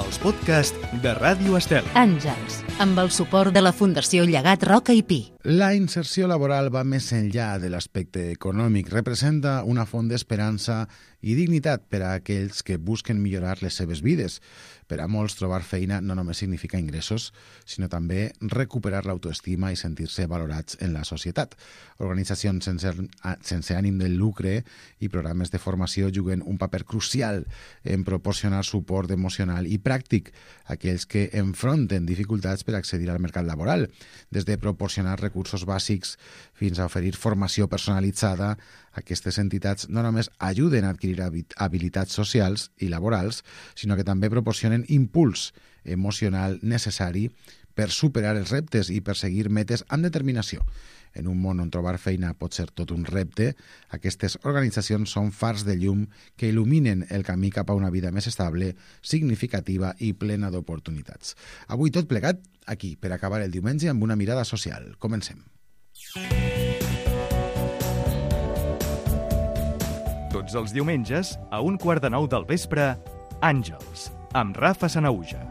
els podcasts de Ràdio Estel. Àngels, amb el suport de la Fundació Llegat Roca i Pi. La inserció laboral va més enllà de l'aspecte econòmic. Representa una font d'esperança i dignitat per a aquells que busquen millorar les seves vides. Per a molts, trobar feina no només significa ingressos, sinó també recuperar l'autoestima i sentir-se valorats en la societat. Organitzacions sense ànim de lucre i programes de formació juguen un paper crucial en proporcionar suport emocional i pràctic a aquells que enfronten dificultats per accedir al mercat laboral, des de proporcionar recursos bàsics fins a oferir formació personalitzada. Aquestes entitats no només ajuden a adquirir habilitats socials i laborals, sinó que també proporcionen impuls emocional necessari per superar els reptes i perseguir metes amb determinació. En un món on trobar feina pot ser tot un repte, aquestes organitzacions són fars de llum que il·luminen el camí cap a una vida més estable, significativa i plena d'oportunitats. Avui tot plegat, aquí, per acabar el diumenge amb una mirada social. Comencem. Tots els diumenges, a 8:45 del vespre, Àngels, amb Rafa Sanahuja.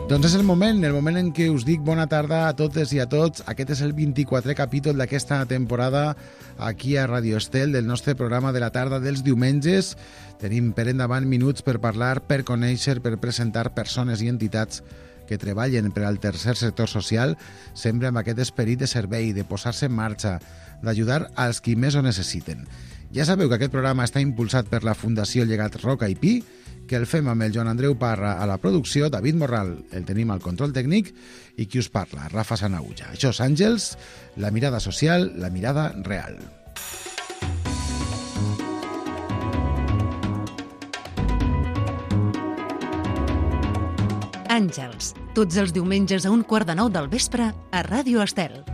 Doncs és el moment en què us dic bona tarda a totes i a tots. Aquest és el 24è capítol d'aquesta temporada aquí a Ràdio Estel, del nostre programa de la tarda dels diumenges. Tenim per endavant minuts per parlar, per conèixer, per presentar persones i entitats que treballen per al tercer sector social, sempre amb aquest esperit de servei, de posar-se en marxa, d'ajudar als qui més ho necessiten. Ja sabeu que aquest programa està impulsat per la Fundació Llegat Roca i Pi, que el fem amb el Joan Andreu Parra a la producció, David Morral el tenim al control tècnic i qui us parla, Rafa Sanahuja. Això és Àngels, la mirada social, la mirada real. Àngels, tots els diumenges a 8:45 del vespre a Ràdio Estel.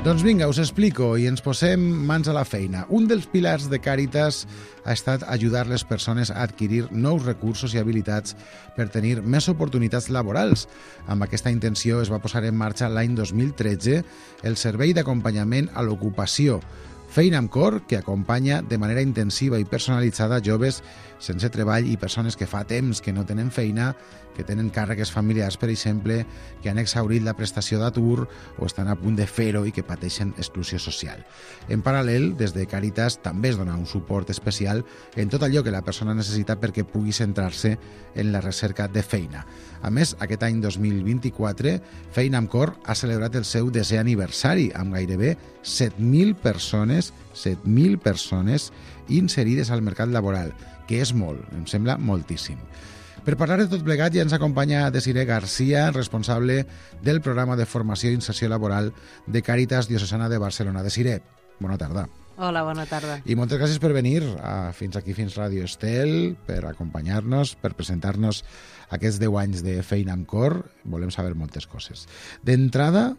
Doncs vinga, us explico i ens posem mans a la feina. Un dels pilars de Càritas ha estat ajudar les persones a adquirir nous recursos i habilitats per tenir més oportunitats laborals. Amb aquesta intenció es va posar en marxa l'any 2013 el Servei d'Acompanyament a l'Ocupació, Feina amb Cor, que acompanya de manera intensiva i personalitzada joves sense treball i persones que fa temps que no tenen feina, que tenen càrregues familiars, per exemple, que han exhaurit la prestació d'atur o estan a punt de fer-ho i que pateixen exclusió social. En paral·lel, des de Càritas també es dona un suport especial en tot allò que la persona necessita perquè pugui centrar-se en la recerca de feina. A més, aquest any 2024, Feina amb Cor ha celebrat el seu 10è aniversari amb gairebé 7.000 persones inserides al mercat laboral, que és molt, em sembla moltíssim. Per parlar de tot plegat ja ens acompanya Desiree García, responsable del programa de formació i inserció laboral de Càritas Diocesana de Barcelona. Desiree, bona tarda. Hola, bona tarda. I moltes gràcies per venir fins aquí, fins Ràdio Estel, per acompanyar-nos, per presentar-nos aquests 10 anys de Feina amb Cor. Volem saber moltes coses. D'entrada,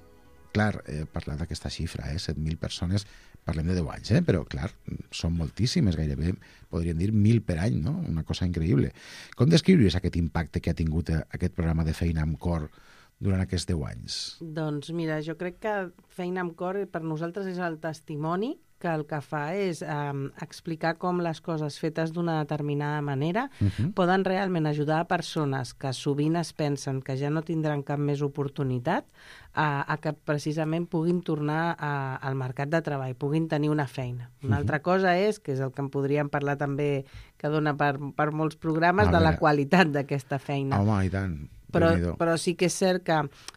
clar, he parlat d'aquesta xifra, 7.000 persones, parlem de 10 anys, però clar, són moltíssimes, gairebé podríem dir 1.000 per any, no? Una cosa increïble. Com descriuries aquest impacte que ha tingut aquest programa de Feina amb Cor durant aquests 10 anys? Doncs mira, jo crec que Feina amb Cor per nosaltres és el testimoni que el que fa és explicar com les coses fetes d'una determinada manera poden realment ajudar a persones que sovint es pensen que ja no tindran cap més oportunitat a que precisament puguin tornar al mercat de treball, puguin tenir una feina. Una altra cosa és, que és el que en podríem parlar també, que dona per molts programes, de la qualitat d'aquesta feina. Home, i tant. Però sí que és cert que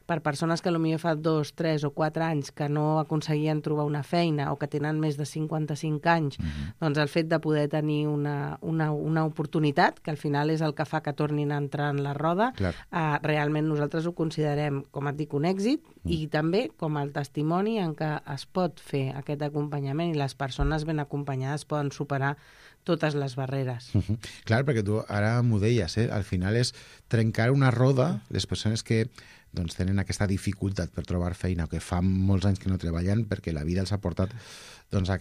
per persones que potser fa 2, 3 o 4 anys que no aconseguien trobar una feina o que tenen més de 55 anys, doncs el fet de poder tenir una oportunitat, que al final és el que fa que tornin a entrar en la roda, realment nosaltres ho considerem, com et dic, un èxit i també com el testimoni en què es pot fer aquest acompanyament i les persones ben acompanyades poden superar totes les barreres. Clar, perquè tu ara m'ho deies, al final és trencar una roda, les persones que doncs tenen aquesta dificultat per trobar feina, o que fa molts anys que no treballen perquè la vida els ha portat doncs, a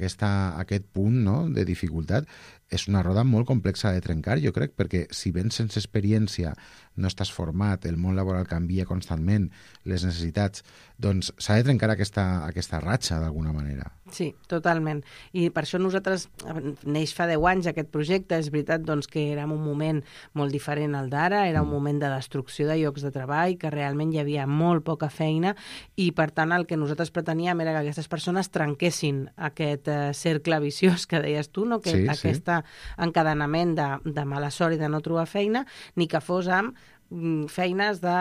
aquest punt, no?, de dificultat. És una roda molt complexa de trencar, jo crec, perquè si vens sense experiència, no estàs format, el món laboral canvia constantment, les necessitats, doncs s'ha de trencar aquesta ratxa d'alguna manera. Sí, totalment. I per això nosaltres, neix fa 10 anys aquest projecte, és veritat doncs, que era un moment molt diferent al d'ara, era un moment de destrucció de llocs de treball, que realment hi havia molt poca feina, i per tant el que nosaltres preteníem era que aquestes persones trenquessin aquest cercle viciós que deies tu, no? Que aquest encadenament de mala sort i de no trobar feina, ni que fos amb feines de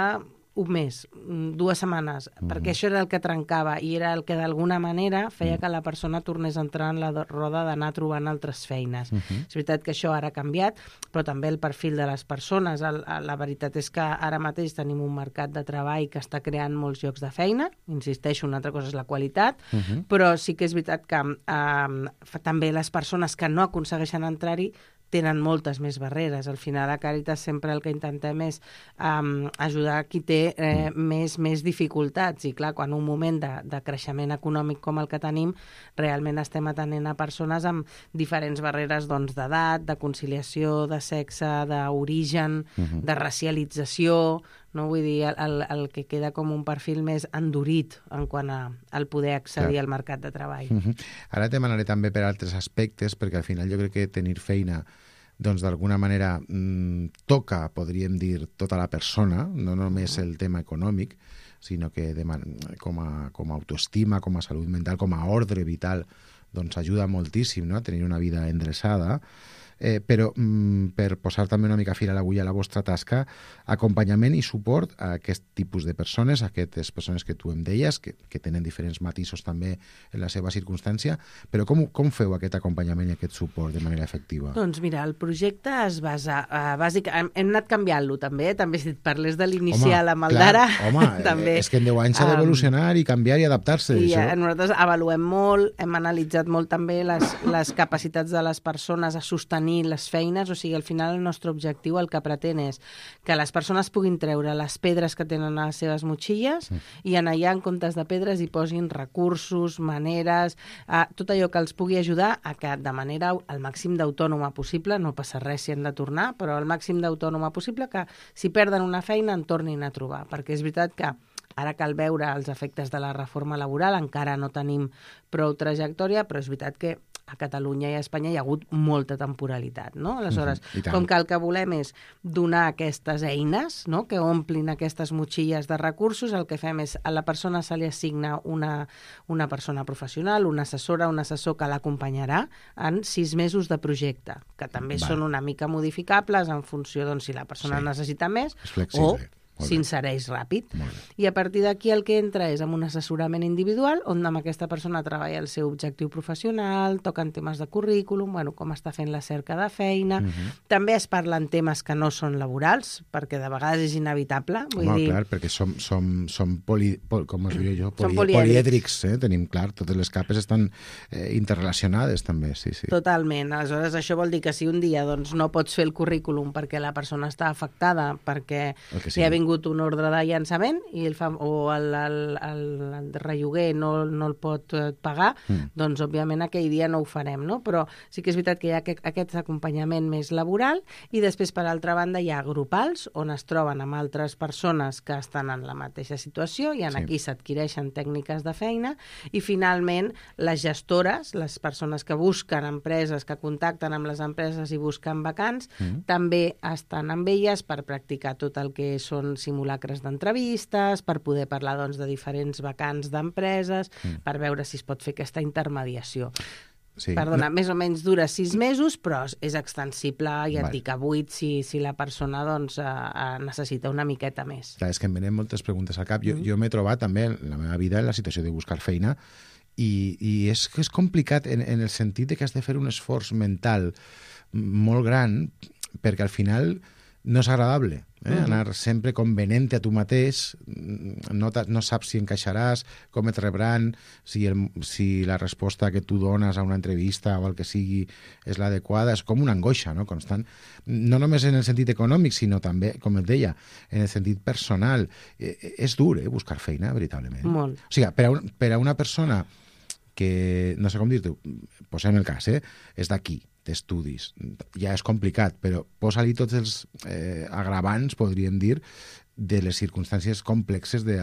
un mes, 2 setmanes, perquè això era el que trencava i era el que d'alguna manera feia que la persona tornés a entrar en la roda d'anar trobant altres feines. És veritat que això ara ha canviat, però també el perfil de les persones. La veritat és que ara mateix tenim un mercat de treball que està creant molts llocs de feina, insisteixo, una altra cosa és la qualitat, però sí que és veritat que també les persones que no aconsegueixen entrar-hi tenen moltes més barreres. Al final, a Càritas sempre el que intentem és ajudar qui té més dificultats. I clar, quan un moment de creixement econòmic com el que tenim, realment estem atenent a persones amb diferents barreres d'edat, de conciliació, de sexe, d'origen, de racialització, no? Vull dir, el que queda com un perfil més endurit en quant al poder accedir al mercat de treball. Ara te demanaré també per altres aspectes, perquè al final jo crec que tenir feina doncs d'alguna manera toca, podríem dir, tota la persona, no només el tema econòmic, sinó que com a autoestima, com a salut mental, com a ordre vital, doncs ajuda moltíssim, no?, a tenir una vida endreçada. Però per posar també una mica fil a l'agulla a la vostra tasca, acompanyament i suport a aquest tipus de persones, a aquestes persones que tu em deies, que tenen diferents matisos també en la seva circumstància, però com feu aquest acompanyament i aquest suport de manera efectiva? Doncs mira, el projecte es basa, bàsicament, hem anat canviant-lo també, si et parles de l'inicial amb el d'ara. Home, és que en 10 anys s'ha d'evolucionar i canviar i adaptar-se. I nosaltres avaluem molt, hem analitzat molt també les capacitats de les persones a sostenir les feines, o sigui, al final el nostre objectiu el que pretén és que les persones puguin treure les pedres que tenen a les seves motxilles i en allà, en comptes de pedres, hi posin recursos, maneres, tot allò que els pugui ajudar a que de manera al màxim d'autònoma possible, no passa res si han de tornar, però al màxim d'autònoma possible, que si perden una feina en tornin a trobar, perquè és veritat que ara cal veure els efectes de la reforma laboral, encara no tenim prou trajectòria, però és veritat que a Catalunya i a Espanya hi ha hagut molta temporalitat, no? Aleshores, com que el que volem és donar aquestes eines, no?, que omplin aquestes motxilles de recursos, el que fem és a la persona se li assigna una persona professional, una assessora, un assessor que l'acompanyarà en 6 mesos de projecte, que també són una mica modificables en funció, doncs, si la persona necessita més o s'insereix ràpid. I a partir d'aquí el que entra és amb un assessorament individual on amb aquesta persona treballa el seu objectiu professional, toquen temes de currículum, com està fent la cerca de feina. També es parlen temes que no són laborals, perquè de vegades és inevitable. Clar, perquè som polièdrics, tenim clar, totes les capes estan interrelacionades també, sí. Totalment. Aleshores, això vol dir que si un dia no pots fer el currículum perquè la persona està afectada, perquè hi ha vingut un ordre de llançament o el relloguer no el pot pagar, doncs òbviament aquell dia no ho farem, no? Però sí que és veritat que hi ha aquest acompanyament més laboral i després, per altra banda, hi ha grupals on es troben amb altres persones que estan en la mateixa situació i aquí s'adquireixen tècniques de feina i finalment les gestores, les persones que busquen empreses, que contacten amb les empreses i busquen vacants, també estan amb elles per practicar tot el que són simulacres d'entrevistes, per poder parlar de diferents vacants d'empreses, per veure si es pot fer aquesta intermediació. Perdona, més o menys dura 6 mesos, però és extensible, ja et dic, a 8 si la persona necessita una miqueta més. Clar, és que em venen moltes preguntes al cap. Jo m'he trobat també en la meva vida en la situació de buscar feina i és complicat en el sentit que has de fer un esforç mental molt gran perquè al final no és agradable. Anar sempre convenent a tu mateix, no saps si encaixaràs, com et rebran, si la resposta que tu dones a una entrevista o el que sigui és l'adequada, és com una angoixa, no?, constant. No només en el sentit econòmic, sinó també, com et deia, en el sentit personal. És dur, buscar feina, veritablement. Molt. O sigui, per a una persona que, no sé com dir-te, posem el cas, és d'aquí, d'estudis. Ja és complicat, però posa-li tots els agravants, podríem dir, de les circumstàncies complexes de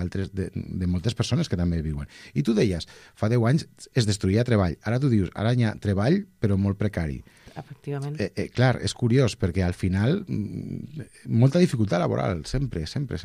moltes persones que també viuen. I tu deies, fa 10 anys es destruïa treball. Ara tu dius, ara hi ha treball, però molt precari. Efectivament. Clar, és curiós, perquè al final molta dificultat laboral, sempre. Sempre.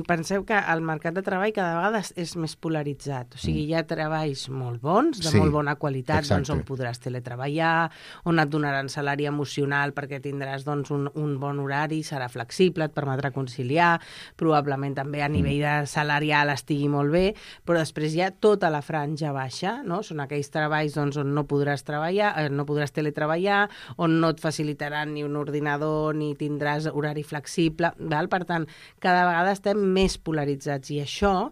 Penseu que el mercat de treball cada vegada és més polaritzat. O sigui, hi ha treballs molt bons, de molt bona qualitat, doncs, on podràs teletreballar, on et donaran salari emocional perquè tindràs doncs, un bon horari, serà flexible, et permetrà conciliar, probablement també a nivell de salarial estigui molt bé, però després hi ha tota la franja baixa, no? Són aquells treballs doncs, on no podràs treballar, no podràs teletreballar, on no et facilitaran ni un ordinador ni tindràs horari flexible, val? Per tant, cada vegada estem més polaritzats i això,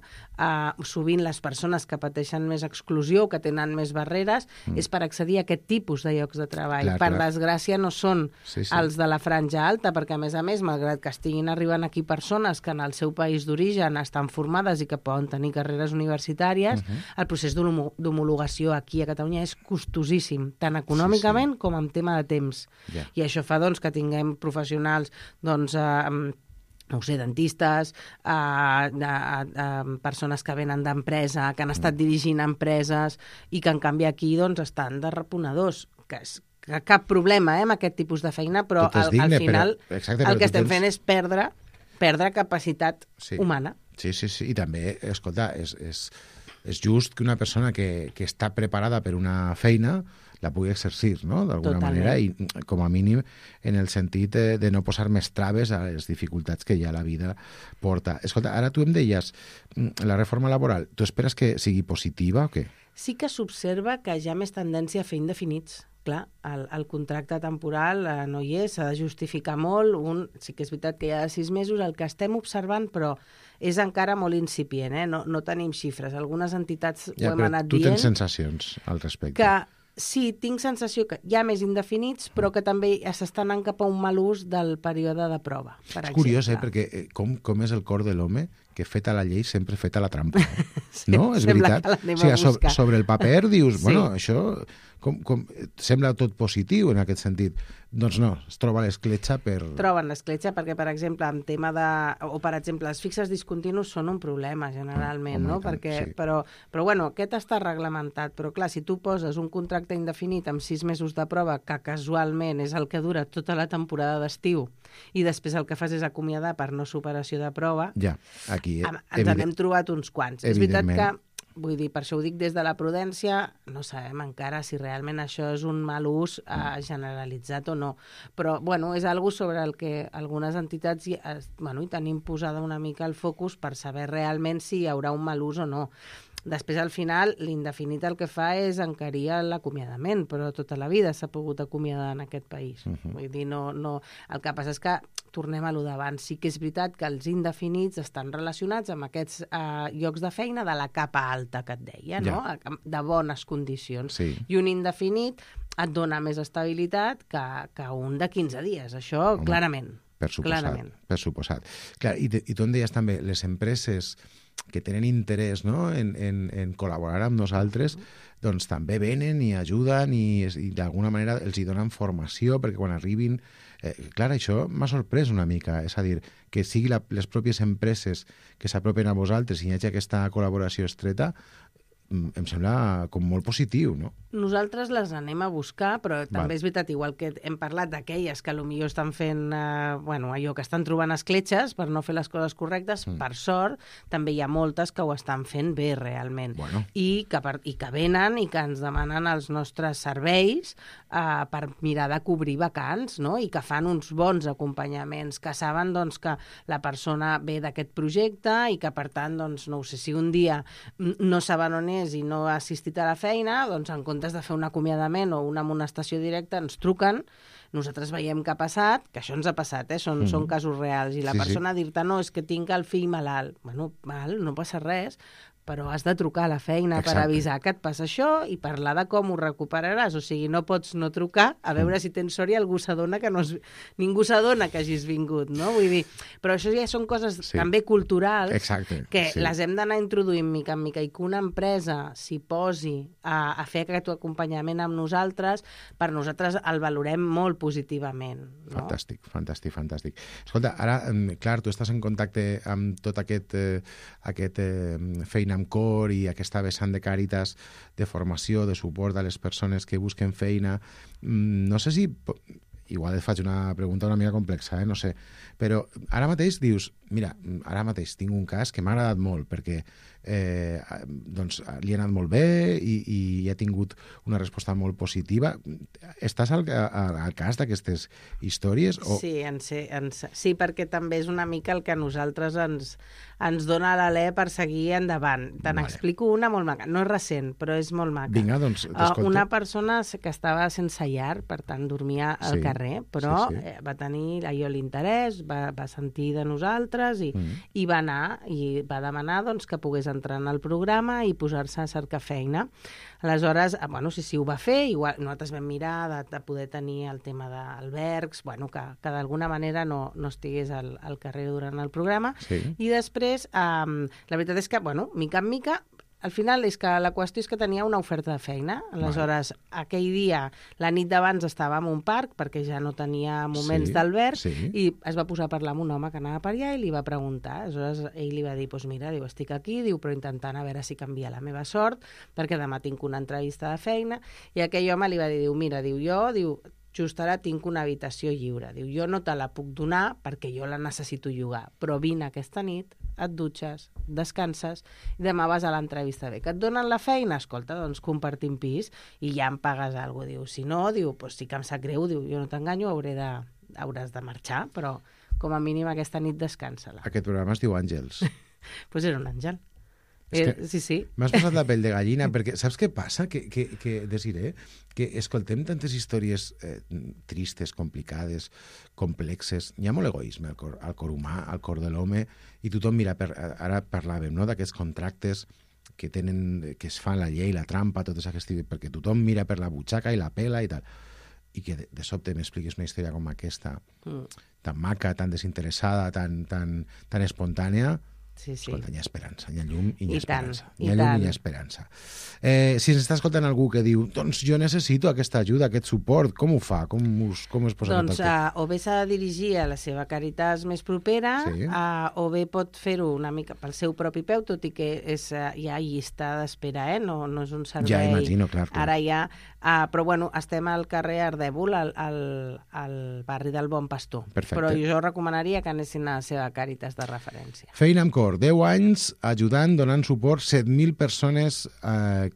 sovint les persones que pateixen més exclusió, que tenen més barreres, és per accedir a aquest tipus de llocs de treball. Per desgràcia no són els de la franja alta, perquè a més, malgrat que estiguin arribant aquí persones que en el seu país d'origen estan formades i que poden tenir carreres universitàries, el procés d'homologació aquí a Catalunya és costosíssim, tant econòmicament com en tema de temps. I això fa doncs, que tinguem professionals no ho sé, dentistes, persones que venen d'empresa, que han estat dirigint empreses i que en canvi aquí doncs, estan de reponedors, que cap problema amb aquest tipus de feina, però al final el que estem fent és perdre capacitat humana. Sí, i també, escolta, és just que una persona que està preparada per una feina la pugui exercir, no?, d'alguna manera, i com a mínim en el sentit de no posar més traves a les dificultats que ja la vida porta. Escolta, ara tu em deies, la reforma laboral, tu esperes que sigui positiva o què? Sí que s'observa que hi ha més tendència a fer indefinits. Clar, el contracte temporal no hi és, s'ha de justificar molt. Sí que és veritat que hi ha 6 mesos, el que estem observant, però és encara molt incipient, no tenim xifres. Algunes entitats ho hem anat dient. Tu tens sensacions al respecte? Sí, tinc sensació que hi ha més indefinits, però que també s'està anant cap a un mal ús del període de prova, per exemple. És curiós, perquè com és el cor de l'home que feta la llei sempre feta la trampa. No? És veritat. O sigui, sobre el paper dius, bueno, això sembla tot positiu en aquest sentit. Doncs no, es troba l'escletxa per... Troben l'escletxa perquè, per exemple, en tema de... O, per exemple, els fixes discontinus són un problema, generalment, no? Perquè, però bueno, aquest està reglamentat. Però, clar, si tu poses un contracte indefinit amb 6 mesos de prova, que casualment és el que dura tota la temporada d'estiu, i després el que fas és acomiadar per no superació de prova, aquí, ens n'hem trobat uns quants. És veritat que, vull dir, per això ho dic des de la prudència, no sabem encara si realment això és un mal ús generalitzat o no. Però, bueno, és algo sobre el que algunes entitats hi tenim posada una mica el focus per saber realment si hi haurà un mal ús o no. Després, al final, l'indefinit el que fa és encarir l'acomiadament, però tota la vida s'ha pogut acomiadar en aquest país. Vull dir, no... El que passa és que tornem a lo d'abans. Sí que és veritat que els indefinits estan relacionats amb aquests llocs de feina de la capa alta que et deia, no? De bones condicions. I un indefinit et dona més estabilitat que un de 15 dies. Això, clarament. Per suposat. Clar, i tu em deies també, les empreses que tenen interès, no?, en col·laborar amb nosaltres, doncs també venen i ajuden i d'alguna manera els hi donen formació perquè quan arribin... Clar, això m'ha sorprès una mica, és a dir, que sigui les pròpies empreses que s'apropen a vosaltres i hi hagi aquesta col·laboració estreta, em sembla com molt positiu, no? Nosaltres les anem a buscar, però també és veritat, igual que hem parlat d'aquelles que potser estan fent allò que estan trobant escletxes per no fer les coses correctes, per sort, també hi ha moltes que ho estan fent bé realment. I que venen i que ens demanen els nostres serveis per mirar de cobrir vacants, no? I que fan uns bons acompanyaments, que saben doncs, que la persona ve d'aquest projecte i que, per tant, doncs, no ho sé, si un dia no saben on més i no ha assistit a la feina, doncs en comptes de fer un acomiadament o una amonestació directa, ens truquen, nosaltres veiem què ha passat, que això ens ha passat, són casos reals, i la persona dir-te, no, és que tinc el fill malalt. Bueno, no passa res, però has de trucar a la feina per avisar que et passa això i parlar de com ho recuperaràs. O sigui, no pots no trucar a veure si tens sort i algú s'adona que ningú s'adona que hagis vingut, no? Vull dir, però això ja són coses també culturals que les hem d'anar introduint mica en mica i que una empresa s'hi posi a fer aquest acompanyament amb nosaltres, per nosaltres el valorem molt positivament. No? Fantàstic. Escolta, ara, clar, tu estàs en contacte amb tot aquest feina amb cor i aquesta vessant de Càritas de formació, de suport a les persones que busquen feina. No sé si... Igual et faig una pregunta una mica complexa, no sé. Però ara mateix dius, mira, ara mateix tinc un cas que m'ha agradat molt perquè doncs, li ha anat molt bé i ha tingut una resposta molt positiva. Estàs al cas d'aquestes històries? O... Sí, perquè també és una mica el que a nosaltres ens dona l'alè per seguir endavant. Te'n explico una molt maca. No és recent, però és molt maca. Vinga, doncs t'escolto. Una persona que estava sense llar, per tant dormia al carrer, però va tenir allò l'interès, va sentir de nosaltres i va anar i va demanar doncs, que pogués entrar en el programa i posar-se a cercar feina. Aleshores, sí, ho va fer, igual nosaltres vam mirar de poder tenir el tema d'albergs, que d'alguna manera no estigués al carrer durant el programa, i després, la veritat és que, mica en mica, al final és que la qüestió és que tenia una oferta de feina. Aleshores, aquell dia, la nit d'abans estava en un parc, perquè ja no tenia moments d'alberg, i es va posar a parlar amb un home que anava per allà i li va preguntar. Aleshores, ell li va dir, mira, estic aquí, però intentant a veure si canvia la meva sort, perquè demà tinc una entrevista de feina, i aquell home li va dir, mira, just ara tinc una habitació lliure. Jo no te la puc donar perquè jo la necessito llogar, però vine aquesta nit, et dutxes, descanses i demà vas a l'entrevista. Que et donen la feina? Escolta, doncs compartim pis i ja em pagues alguna cosa. Si no, sí que em sap greu, jo no t'enganyo, hauràs de marxar, però com a mínim aquesta nit descansa-la. Aquest programa es diu Àngels. Doncs era un àngel. Sí. M'has posat la pell de gallina, perquè saps què passa? Que Desiré, que escoltem tantes històries tristes, complicades, complexes. Hi ha molt egoisme al cor humà, al cor de l'home, i tothom mira, ara parlàvem, no?, d'aquests contractes que es fan la llei, la trampa, totes aquestes, perquè tothom mira per la butxaca i la pela i tal. I que de sobte m'expliquis una història com aquesta, tan maca, tan desinteressada, tan espontània. Escolta, hi ha esperança, hi ha llum i hi ha esperança. Hi ha llum i hi ha esperança. Si ens està escoltant algú que diu, doncs jo necessito aquesta ajuda, aquest suport, com ho fa? Com es posa en contacte? O bé s'ha de dirigir a la seva Càritas més propera, o bé pot fer-ho una mica pel seu propi peu, tot i que hi ha llista d'espera, no és un servei... Ja imagino, clar. Ara ja... Però estem al carrer Ardèvol, al barri del Bon Pastor. Perfecte. Però jo recomanaria que anessin a la seva Càritas de referència. Feina amb cor, 10 anys ajudant, donant suport, 7.000 persones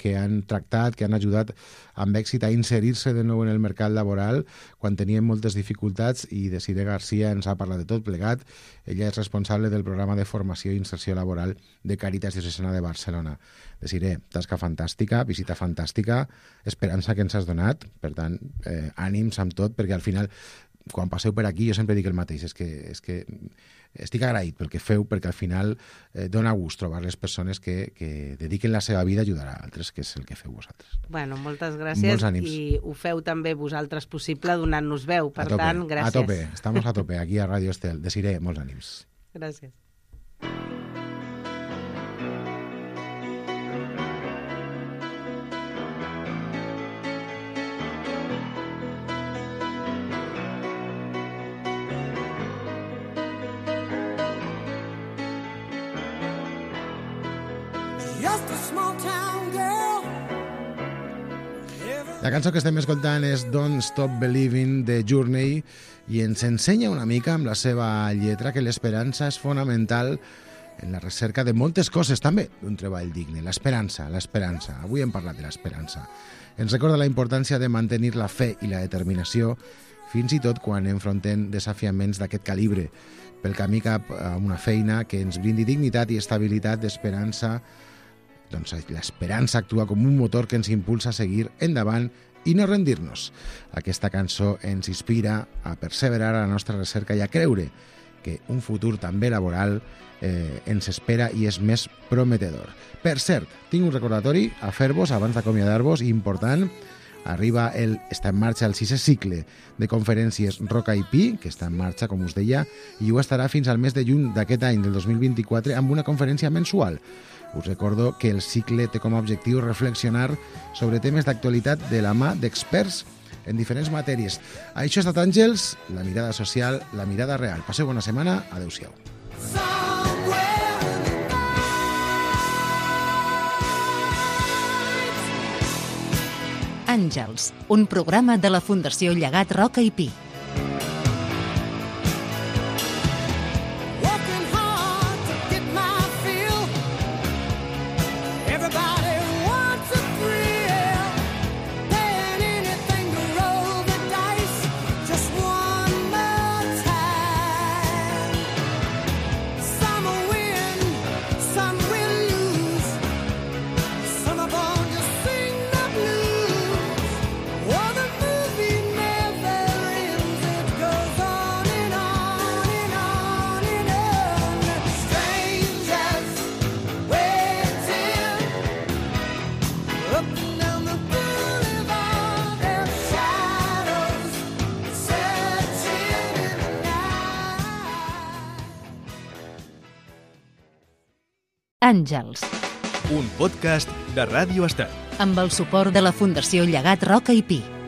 que han tractat, que han ajudat amb èxit a inserir-se de nou en el mercat laboral quan tenien moltes dificultats, i Desiré Garcia ens ha parlat de tot plegat. Ella és responsable del programa de formació i inserció laboral de Càritas Diocesana de Barcelona. Desiré, tasca fantàstica, visita fantàstica, esperança que ens has donat, per tant, ànims amb tot, perquè al final, quan passeu per aquí, jo sempre dic el mateix, és que estic agraït pel que feu, perquè al final dona gust trobar les persones que dediquen la seva vida a ajudar a altres, que és el que feu vosaltres. Moltes gràcies, i ho feu també vosaltres possible donant-nos veu, per tant, gràcies. A tope, estamos a tope, aquí a Radio Estel. Desiré, molts ànims. Gràcies. La cançó que estem escoltant és Don't Stop Believing de Journey, i ens ensenya una mica amb la seva lletra que l'esperança és fonamental en la recerca de moltes coses, també d'un treball digne. L'esperança. Avui hem parlat de l'esperança. Ens recorda la importància de mantenir la fe i la determinació, fins i tot quan enfrontem desafiaments d'aquest calibre, pel camí cap a una feina que ens brindi dignitat i estabilitat d'esperança, Doncs l'esperança actua com un motor que ens impulsa a seguir endavant i no rendir-nos. Aquesta cançó ens inspira a perseverar a la nostra recerca i a creure que un futur també laboral ens espera i és més prometedor. Per cert, tinc un recordatori a fer-vos abans d'acomiadar-vos, important. Està en marxa el 6è cicle de conferències Roca i Pi, que està en marxa, com us deia, i ho estarà fins al mes de juny d'aquest any, del 2024, amb una conferència mensual. Us recordo que el cicle té com a objectiu reflexionar sobre temes d'actualitat de la mà d'experts en diferents matèries. Això ha estat Àngels, la mirada social, la mirada real. Passeu bona setmana, adeu-siau. Àngels, un programa de la Fundació Llegat Roca i Pi. Àngels, un podcast de Ràdio Estat. amb el suport de la Fundació Llegat Roca i Pi.